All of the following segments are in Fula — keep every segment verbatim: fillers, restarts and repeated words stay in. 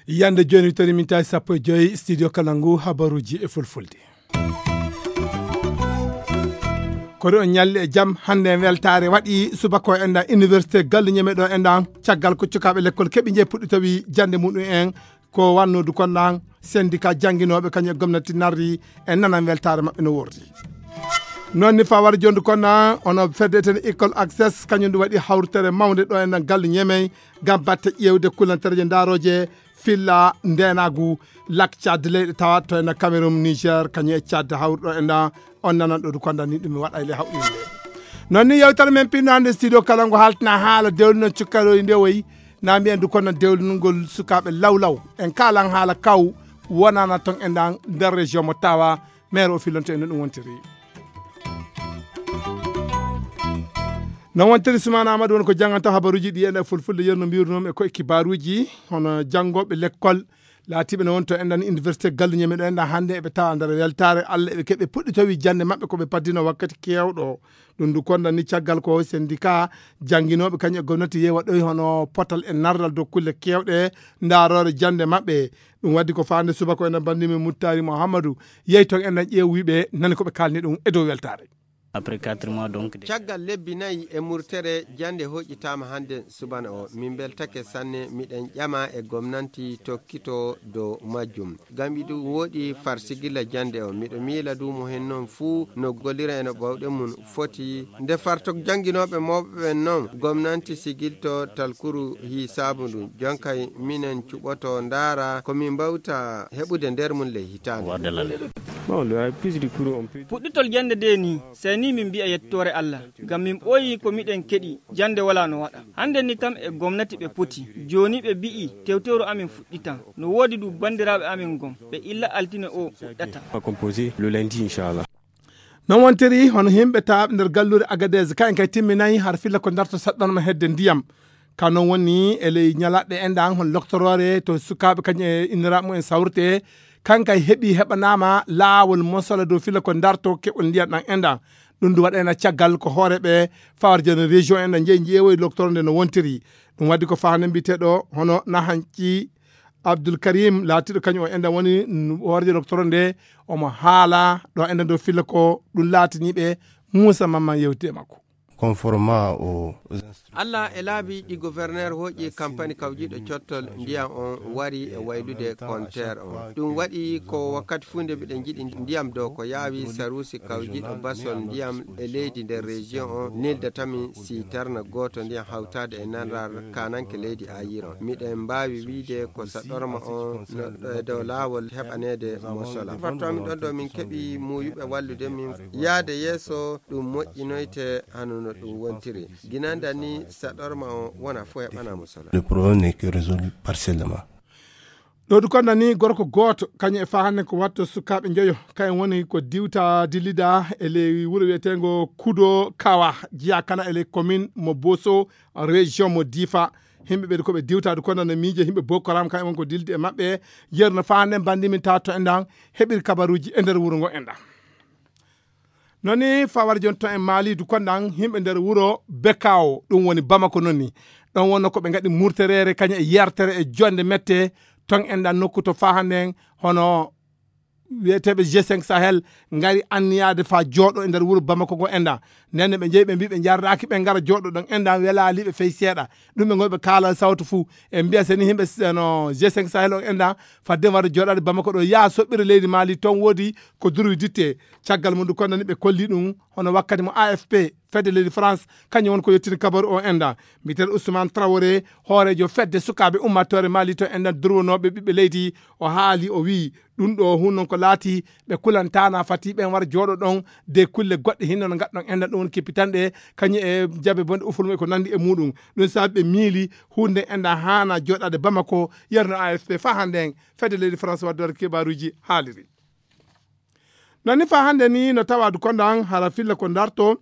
Yande joni tori min tawi sappo e joyi studio kala ngu habaruji e fulfulde. Koɗo on ñalli e jam hannde en weltaare waɗi subako en ɗan université gallu ñeme ɗo en ɗan caggal ko cukaaɓe lekkol keɓi je puɗɗi tawi jannde muɗum en ko wannodu kon ɗan syndicat jannginooɓe kañum e gomnati narri en nanan weltaare maɓɓe no wordi. Noon ni fa wara jondu kon ɗan ono fedde ten école access kañum ɗum waɗi hawritere mawnde ɗo en ɗan gallu ñemey ngam batte ƴeewde kullantereje ndaarooje filla ndeenaagu lak Tchad leyɗe tawa to ena Cameroun, Niger, kañum e Tchad hawruɗo e nda on nanan ɗo du konda ni ɗum mi waɗa e le hawɗinde. Noon ni yewtere men pinno hannde studio kala ngo haltina haala dewlino cukkaroy ndewoy na mbiyen du konda dewlinugol sukaaɓe lawlaw en kalan haala kaw wonana ton e ndan nder région mo tawa maire o fillonto en no ɗum wontiri. No wontiri Sumana Amadou won ko janganta habaruji ɗi ene fulfulde yerno mbirnum e ko e kibaruji hono jangoɓe lekkol laatiɓe no wonto enɗan université galluñe meɗo enɗan hannde eɓe tawa nder weltare Allah eɓe keɓe puɗɗi tawi jande maɓɓe koɓe paddino wakkati kewɗo. Ɗum ndu konda ni caggal ko syndicat janginoɓe kañum e gomnati yewa ɗoy hono potal e nardal dow kulle kewɗe ndarore jande maɓɓe. Ɗum waddi ko fande subaka ena bandimi muttari mouhammadou yehi toon ena ƴeewiɓe nani koɓe kalni ɗum e dow weltare. Après quatre mois donc de- caggal lebbi nayi e murtere jande hoƴƴitama hande subana o min beltake sanne miɗen ƴama e gomnanti tokkito dow majjum. Gam iɗum woɗi far sigilla jande o miɗo miila duumo hen noon fuu no gollira e no ɓawɗe mum foti nde farto jannginooɓe mawɓe ɓen noon gomnanti sigilto talkuru hii saabu ndu jonkay minen cuɓoto ndaara ko min mbawta heɓude nder mum ley hitaande. Puɗɗitol jannde ndee nii sey nii min mbi'a yettoore Allah ngam min ɓooyii ko miɗen keɗi jannde walaa no waɗa. Hannde ni kam e gomnati ɓe poti. Jooni ɓe mbi'i tewtewru amin fuɗɗitan. No woodi du banndiraaɓe amin gom ɓe illa altine o fuɗɗata. Composé le lundi inchallah. Non wontiri hono himɓe taaɓe nder gallure agadez kayen kay timminayi har filla ko darto saɗɗanma hedde ndiyam. Ka non woni e ley ñalaɗɗe enɗan hon loktoroore to sukaaɓe kañum e inniraaɓe mum en sawrte kankay heɓi heɓanaama laawol mosola dow filla ko darto keɓol ndiyam ɗan enɗan. Ɗum ndu waɗayna caggal ko hooreɓe fawar joni région en ɗo jeeyi jeewoyi loktoro nde no wontiri. Ɗum waddi ko fahande mbiyeteɗo hono nahanci abdoul karim laatiɗo kañum o enɗan woni hoorejo loktoro nde omo haala ɗo enɗan dow filla ko ɗum laatiniɓe. Moussa mamman yewti e makko. Conformément au allah e laabi ɗi gouverneur hooƴi campagne kawjiɗo cottol ndiyam on wari e waylude compteur on ɗum waɗi ko wakkati fuu nde mbiɗen jiɗi ndiyam dow ko yaawi saruusi kawjiɗo basol ndiyam e leydi nder région on nildatami si tarna gooto ndiyam hawtaade e nanar kananke leydi ayiron miɗen mbaawi wiide ko saɗɗorma on no e dow laawol heɓaneede mosola fattomi ɗon ɗo min keɓi muuyuɓe wallude min yaade yeeso ɗum moƴƴinoyte hano no ɗum wontiri ginanda ni saɗorma o wona fof heɓanamo solo. Le problème n'est que résolu partiellement. Ɗo du konda ni gorko gooto kañum e fa hannde ko watto sukaaɓe njoyo kayen woni ko diwta dillida e ley wuro wiyetengo kudo kawa jiya kana e ley commune mo boso région mo difa. Himɓe ɓeɗe koɓe diwta du konda no miije himɓe bokoram kayen woni ko dillidi e maɓɓe. Yerno fa hannde mbandi min tawa to enɗan heɓiri kabaruji e nder wuro ngo enɗan. Noni fawar jon to en maali du konɗan himɓe nder wuro bekawo ɗum woni bamako noni. Ɗon wonno ko ɓe ngaɗi murterere kañum e yartere e jonde mette ton enɗan nokku to fahanden hono wiyeteɓe g cinq sahel ngari anniyade fa jooɗo e nder wuro bamako ngo enɗan. Nden ɓe jeeyi ɓe mbi ɓe jarraki ɓe ngara jooɗo ɗon enɗan welaliɓe fey seeɗa. Ɗum ɓe goy ɓe kaala sawtu fuu e mbiya seni himɓe no g cinq sahel on enɗan fadde wara jooɗade bamako ɗo yaa soɓɓira leydi maali toon woodi ko durwi ditte. Caggal mum du konnani ɓe kolli ɗum hono wakkati mo afp fedde leydi france kañum won ko yettini kabaru o enɗan. Mbiyeteeɗo ousmane trawore hoorejo fedde sukaaɓe ummatore maali to enɗan durwonooɓe ɓiɓɓe leydi o haali o wii ɗum ɗo hun noon ko laati ɓe kulantana fati ɓen wara jooɗo ɗon de kulle goɗɗe hinno no gaɗɗon enɗan ɗum woni kippitanɗe kañum e jabe bonɗe ufulmo e ko nandi e muɗum. Ɗum saabi ɓe miili hunde enɗan haana jooɗade bamako yerno afp fa hannde en fedde leydi france waddore kibaruji haaliri. Nani fa hannde ni no tawadu kondan hara filla ko darto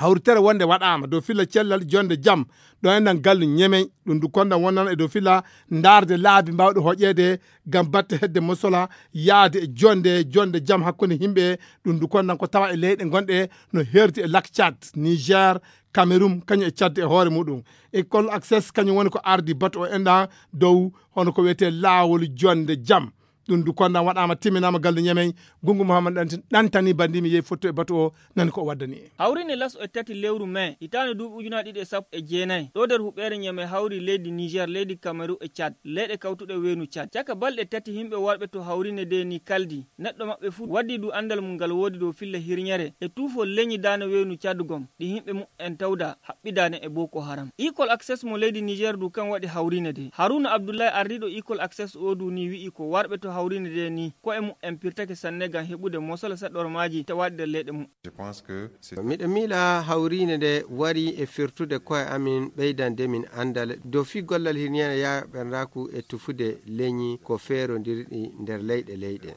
Hawritere wonde waɗaama dow filla cellal jonde jam ɗo enɗan gallu ñemey. Ɗum du kondan wonnan e dow filla ndaarde laabi mbaawɗe hoƴeede ngam batte hedde mosola yaade e jonde jonde jam hakkunde yimɓe. Ɗum du kondan ko tawa e leyɗe gonɗe no herti e lak Tchad, Niger, Cameroun, kañum e Tchad e hoore muɗum. École Access kañum woni ko ardi batu o enɗan dow hono ko wiyetee laawol jonde jam. Ɗum du kondan waɗaama, timminaama gallu ñemey. Gungu Muhammad ɗanti- ɗantani bandimi yehi fotto e batu o, nani ko o waddani en. Hawrine laso e tati lewru mai hitaande duuɓi ujunaaji ɗiɗi e sappo e jeenayi ɗo nder huɓeere ñeme hawri leydi Niger, leydi Cameroun e Tchad, leyɗe kawtuɗe weenu Tchad. Caka balɗe tati yimɓe warɓe to hawrine de ni kaldi. Neɗɗo maɓɓe fuu waddi du anndal mum ngal woodi dow filla hirñere e tuufol leñi daane weenu Tchad gom, ɗi yimɓe muɓɓen tawda haɓɓidaane e Boko Haram. Equal Access mo leydi Niger du kan waɗi hawrine de. Haruna Abdullahi, ardiiɗo Equal Access o du ni wi'i ko warɓe to hawrine de ni ko'e muɓɓen pirtake sanne ngam heɓude mosola saɗormaaji tawaɗi nder leyɗe muɓɓen. Miɗo miila hawriinde nde wari e firtude koye amin, ɓeydande min anndal dow fii gollal hirñeene yaaɓerndaku e tufude leñi ko feerondirɗi nder leyɗe leyɗe.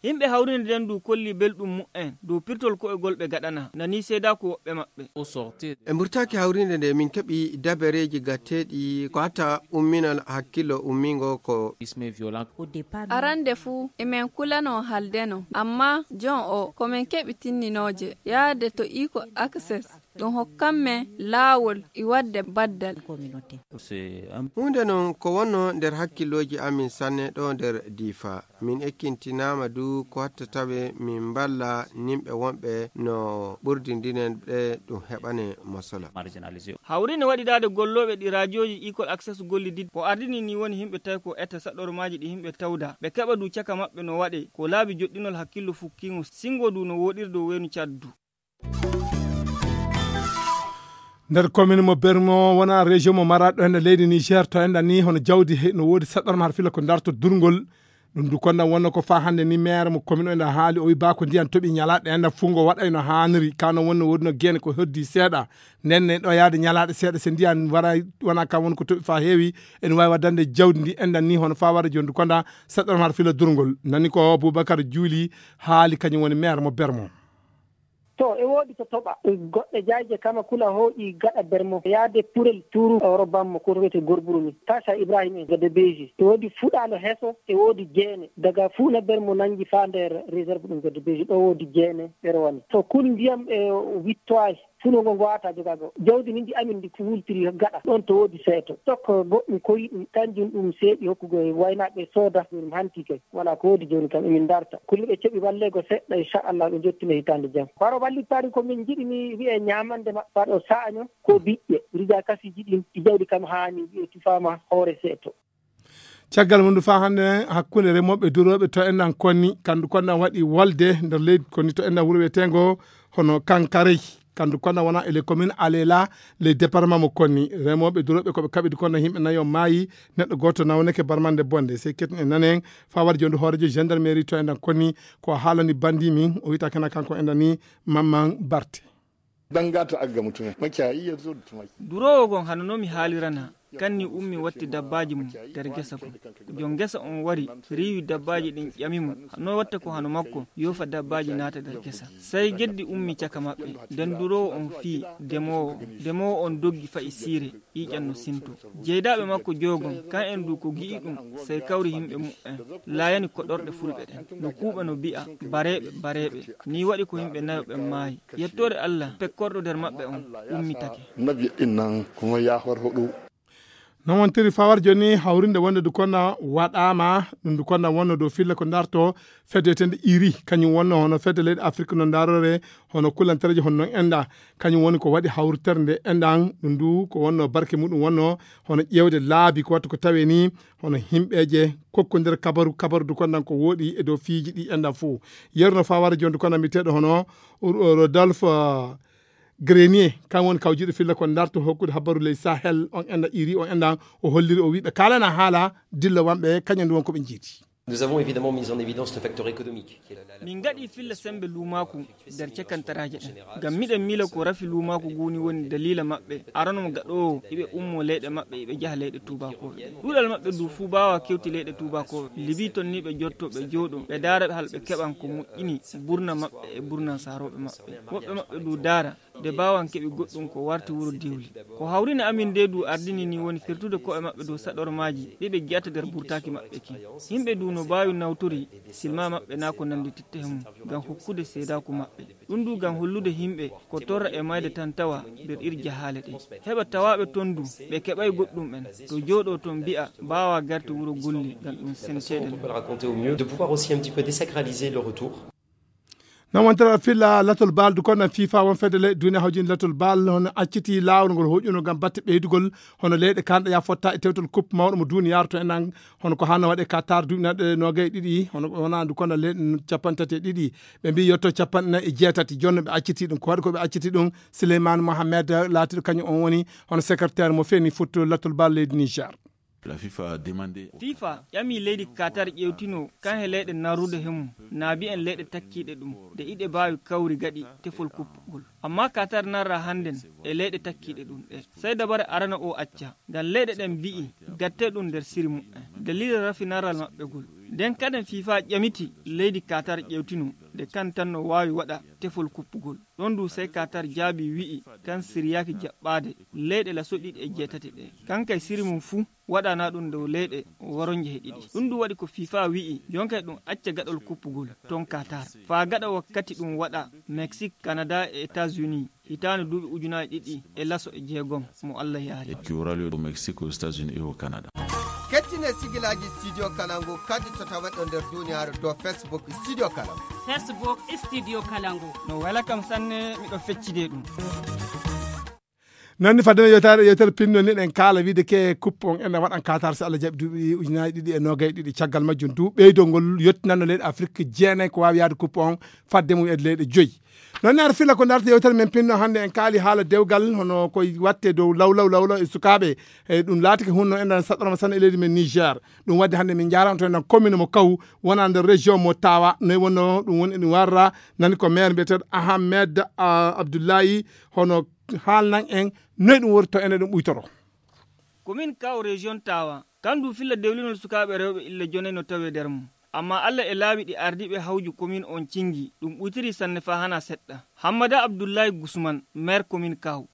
Yimɓe hawriinde nden du kolli belɗum mu'en dow pirtol ko'egol ɓe gaɗana, nani seedaaku woɓɓe maɓɓe. E mburtaaki hawriinde nde min keɓi dabareeji gatteeɗi ko hatta umminal hakkillo ummingo ko. Arande fuu emen kulano haldeno, amma jon o ko men keɓi tinninooje yaade to Equal Access, ɗum hokkan men laawol e waɗde baddal. Huunde non ko wonno nder hakkillooji amin sanne ɗo nder Difa. Min ekkintinaama du ko watta tawe min mballa nimɓe wonɓe no ɓurdindinen ɓe ɗum heɓane masola. Hawrine waɗidaade gollooɓe ɗi raajooji Equal Access gollidid ko ardini ni woni yimɓe tawi ko etta saɗormaaji ɗi yimɓe tawda. Ɓe keɓa du caka maɓɓe no waɗe ko laabi joɗɗinol hakkillo fukkiŋo singo du no woɗiri dow weenu Tchad du. Nder commune mo Bermo wona région mo Maradi ɗo henna leydi Niger to enɗan ni hono jawdi he no woodi saɗɗorma har fila ko darto durngol. Ɗum du kondan wonno ko fa hannde ni maire mo commune o ena haali o wi bako ndiyan toɓi ñalaɗe enɗan fungo waɗayno haaniri kano wonno woodino gene ko heddi seeɗa. Nden ne ɗo yaade ñalaɗe seeɗa se ndiyan wara wona kam woni ko toɓi fa heewi ene wawi waddande jawdi ndi enɗan ni hono fa wara joni du kondan saɗɗorma har fila durngol nani ko Boubacar Juuli haali kañum woni maire mo Bermo. To e woodi to toɓa goɗɗe jayje kama kula hooƴi gaɗa bermo yaade purel turu oro bammo ko wiyete gorburu ni tasa ibrahim en gada beji e woodi fuɗalo heso e woodi jeene daga fuuna bermo nangi fa nder réserve ɗum gada beji ɗo woodi jeene ɓe rowani to kul ndiyam e wittowaji funo ngo ngowata jogago jawdi ni ndi amin ndi wultiri gaɗa ɗon to woodi seeto tokko goɗɗum koyi ɗum kanjum ɗum seeɗi hokkugo e waynaɓe sooda ɗum hanti kay wala ko woodi joni kam emin darta kulli ɓe keɓi wallego seɗɗa inchallah ɓe jottino hitande jam baro wallittari ko min jiɗi ni wiye ñamande maɓɓa ɗo sa'año ko biƴƴe rija kasiji ɗin ɗi jawdi kam hani wiye tufama hoore seeto. Caggal mum fa hannde hakkunde remooɓe durooɓe to enɗan konni kandu konɗan waɗi wolde nder leydi konni to enɗan wuro wiyeteengo hono kankarey kandu konɗan wona e les communes alela les département mo konni remooɓe durooɓe koɓe kaɓidi konɗan yimɓe nayo maayi neɗɗo gooto nawneke barmande bonde sey ketten e nanen fa waɗi jonde hoorejo gendarmerie to enɗan konni ko haalani bandi min o wiyta kena kanko enɗan ni mamman barte. Dangata agga mutumin makiyayi ya zo da tumaki. Duroowo gon hano no mi haalirana kanni ummi watti dabbaaji mum nder gesa gon. Jon gesa on wari riiwi dabbaaji ɗin ƴami mo no watta ko hano makko yoofa dabbaaji naata nder gesa. Sey geddi ummi caka maɓɓe nden duroowo on fii demoowo on. Demoowo on doggi fa'i siire ƴiiƴan no sinto. Jeydaaɓe makko joyo gon kan en du ko gi'i ɗum sey kawri yimɓe mu'en laayani koɗorɗe fulɓe ɗen no kuuɓa no bi'a bareeɓe bareeɓe. Ni waɗi ko yimɓe nayo ɓen maayi. Yettoore Allah pekkorɗo nder maɓɓe on ummitake. Nabi innan kuma ya farfaɗo. Non wontiri fawar joni hawrinde wonde du konna waɗama ɗum du konna wonno dow filla ko darto fedde wiyetende iri kañum wonno hono fedde leyɗe Afrique no darore hono kulantereje hono non enɗa kañum woni ko waɗi hawritere nde enɗan ɗum du ko wonno barke muɗum wonno hono ƴewde laabi ko wattu ko tawe ni hono himɓeje kokkodira kabaru kabaru du kondan ko woɗi e dow fiiji ɗi enɗan fof. Yeru no fawar joni du kondan mbiyeteɗo hono Rodolphe Grenier kan woni kawjiɗo filla ko darto hokkude habaru ley Sahel on enɗa iri on enɗa o holliri o wiɓe kalana haala dilla wanɓe kañum ndu won koɓe jiidi. Nous avons évidemment mis en évidence le facteur économique. Min gaɗi filla sembe luumaaku nder cakantaraje ɗen ngam miɗen miila ko rafi luumaaku guuni woni daliila maɓɓe arano mo gaɗoowo iɓe ummo leyɗe maɓɓe iɓe jaha leyɗe tuubakooɓe ɗuɗal maɓɓe du fuu baawa kewti leyɗe tuubakooɓe libi tonni ɓe jotto ɓe jooɗo ɓe daara ɓe hal ɓe keɓan ko moƴƴini burna maɓɓe e burna saarooɓe maɓɓe woɓɓe maɓɓe du daara. Nde baawan keɓi goɗɗum ko warti wuro diwli. Ko hawrini amin nde du ardini ni woni firtude ko'e maɓɓe dow saɗormaaji ɗi ɓe jiyata nder burtaaki maɓɓe ki. Yimɓe du no baawi nawtori silma maɓɓe naa ko nandi titte he mum ngam hokkude seedaaku maɓɓe. Ɗum du ngam hollude yimɓe ko torra e mayde tan tawa nder ir jahaale ɗe. Heɓa tawaaɓe toon du ɓe keɓay goɗɗum en to jooɗo toon mbi'a baawa garte wuro golli ngam ɗum senteede. Raconter au mieux, de pouvoir aussi un petit peu désacraliser le retour. Non wontere filla latol bal du kono fifa won fedde le duniya hawjini latol bal hono acciti laawol ngol hoƴuno ngam batte ɓeydugol hono leyɗe kanɗe ya fotta e tewtol coupe mawɗo mo duniyaaru to enen hono ko hanno waɗe qatar duuɓi naɗe nogay ɗiɗi hono wona du kono le capantate ɗiɗi ɓe mbi yetto capanɗe nayi e jeetati jonno ɓe acciti ɗum ko waɗi ko ɓe acciti ɗum. Souleymane Mohamed laatiɗo kañum on woni hono secrétaire mo feni football latol bal leydi niger. La fifa a demandé. Fifa ƴami leydi qatar ƴewtino kan he leyɗe narrude he mum naabi en leyɗe takkiiɗe ɗum nde iɗe mbaawi kawri gaɗi tefol kuppugol. Amma qatar narra hannden e leyɗe takkiiɗe ɗum ɗe sey dabare arana o acca ngam leyɗe ɗen mbi'i gatte ɗum nder siri mumen dalila rafi narral maɓɓegol. Nden kaden fifa ƴamiti leydi qatar ƴewtino nde kan tan no waawi waɗa tefol kuppugol. Ɗon du sey qatar jaabi wi'i kan siryaaki jaɓɓaade leyɗe laso ɗiɗi e jeetati ɗe kan kay siri mum fuu waɗana ɗum dow leyɗe woronje he ɗiɗi. Ɗum du waɗi ko fifa wi'i jonkay ɗum acca gaɗol kuppugol ton qatar faa gaɗa wakkati ɗum waɗa mexique canada e états-unis hitaande duuɓi ujunaaji ɗiɗi e laso e jeegom mo allah yaari. Qui aura lieu au mexique, aux états-unis et au canada. Kettine sigilaaji studio kalangu kadi to taweɗo nder duniyaaru dow facebook studio kalangu. Facebook studio kalangu. No wela kam sanne miɗo feccide ɗum. Noon ni fadde yewtere yewtere pinno ni ɗen kaala wiide ke coupe on ene waɗan qatar so allah jaɓi duuɓi ujunaaji ɗiɗi e nogay ɗiɗi caggal majjum du ɓeydol ngol yettinanno leyɗe afrique jeenayi ko waawi yaade coupe on fadde mum e leyɗe joyi. Noon ne aɗa filla ko darta yewtere men pinno hannde en kaali haala dewgal hono koye watte dow lawlaw lawlaw e sukaaɓe. E ɗum laatike hunno enɗan saɗɗorma sanne e leydi men niger. Ɗum waɗde hannde min njaarama to enɗan commune mo kaw wona nder région mo tawa noy wonno ɗum woni eɗum warra. Nani ko maire mbiyeteɗo ahamed abdoullahi hono haalnan en noy ɗum woni to ene ɗum ɓuytoro. Commune kaw région tawa kandu filla dewlinol sukaaɓe rewɓe illa jonay no tawe nder mum. Amma allah e laawi ɗi ardiiɓe hawju komin on cingi ɗum ɓuytiri sanne faa hana seɗɗa. Hammada abdullahi gusman maire komin kaw.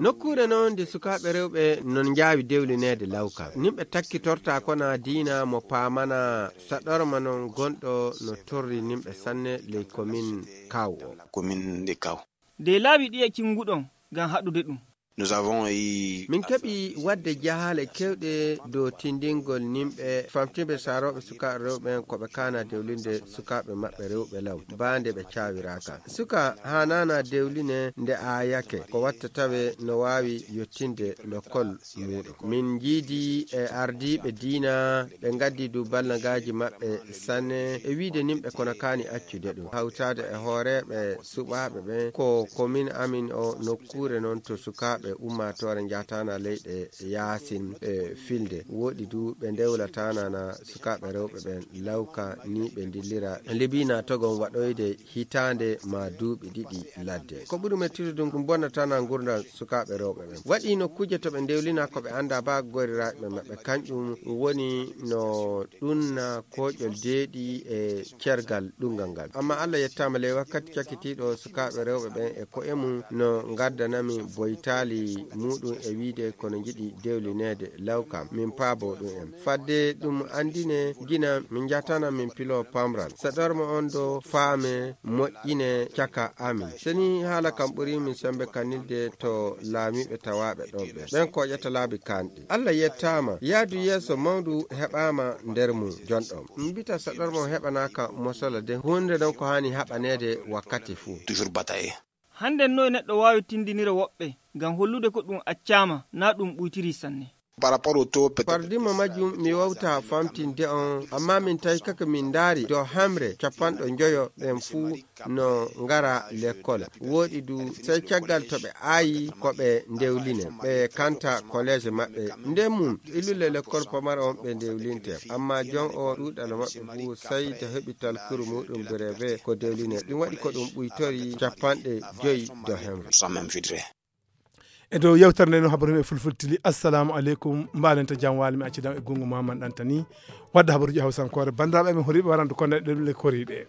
Nokkuure noon nde sukaaɓe rewɓe non njaawi dewlineede lawka nimɓe takkitorta kona diina mo paamana saɗorma noon gonɗo no torri nimɓe sanne ley komin kaw o. Komin nde kaw. Nde laawi ɗiya cinguɗon ngam haɗude ɗum. Nous avons eu min keɓi waɗde jahaale kewɗe dow tindingol nimɓe famtiɓe sarooɓe sukaaɓe rewɓe ɓen ko ɓe kaana dewlinde sukaaɓe maɓɓe rewɓe law baa nde ɓe caawiraaka. Suka haanaana dewline nde aayake ko watta tawe no waawi yottinde lokkol muuɗum. Min njiidi e ardiiɓe diina ɓe ngaddi du ballagaaji maɓɓe sanne e wiide nimɓe kono kaani accude ɗum hawtaade e hooreeɓe suɓaaɓe ɓen ko komin amin o nokkuure noon to sukaaɓe ummaatoore njaataana leyɗe yaasin e filde woɗi du ɓe ndewlataanana sukaaɓe rewɓe ɓen lawka ni ɓe ndillira libina togon waɗoyde hitaande ma duuɓi ɗiɗi ladde ko ɓuri mettude ɗum ɗum bonnatana ngurdam sukaaɓe rewɓe ɓen waɗi nokkuje to ɓe ndewlina ko ɓe annda ba goriraaɓe maɓɓe kanƴum woni no ɗunna koƴol deeɗi e cergal ɗungal ngal amma allah yettaama ley wakkati cakkitiiɗo sukaaɓe rewɓe ɓen e ko'e mum no ngaddanami boytaali muɗum e wiide kono njiɗi dewlineede lawkam min paabo ɗum en fadde ɗum anndine gina min njatana min pilo pamral saɗorma on ɗo faame moƴƴine caka amin seni haala kam ɓuri min sembe kannilde to laamiiɓe tawaaɓe ɗon ɓe ɓen koƴata laabi kanɗi allah yettaama yaadu yeeso mawndu heɓaama nder mum jonɗon mbita saɗorma on heɓanaaka mosola de huunde ɗon ko haani haɓaneede wakkati fuu toujours bataye. Hannden noy neɗɗo waawi tindinira woɓɓe ngam hollude ko ɗum accaama naa ɗum ɓuytirii sanne. Par rapport au taux peut-être fardima majjum mi wawta famtinde on amma min tawi kaka min ndaari dow hamre capanɗo njoyo ɓen fuu no ngara lekkol wooɗi du sey caggal to ɓe aayi ko ɓe ndewline ɓe kanta kolleeje maɓɓe nden mum illude lekkol pamara on ɓe ndewlinte amma jon o ɗuuɗal maɓɓe fuu sey to heɓi talkuru muɗum breve ko dewline ɗum waɗi ko ɗum ɓuytori capanɗe joyi do hemre. E dow yewtere nde no habaru e fulfulde tili assalamu aleykum mbaɗen to jam waali mi accidan e gungu maman ɗantani wadde habaruji hawsankoore banndiraaɓe men horiiɓe warandu konneɗe ɗemle koriiɗe.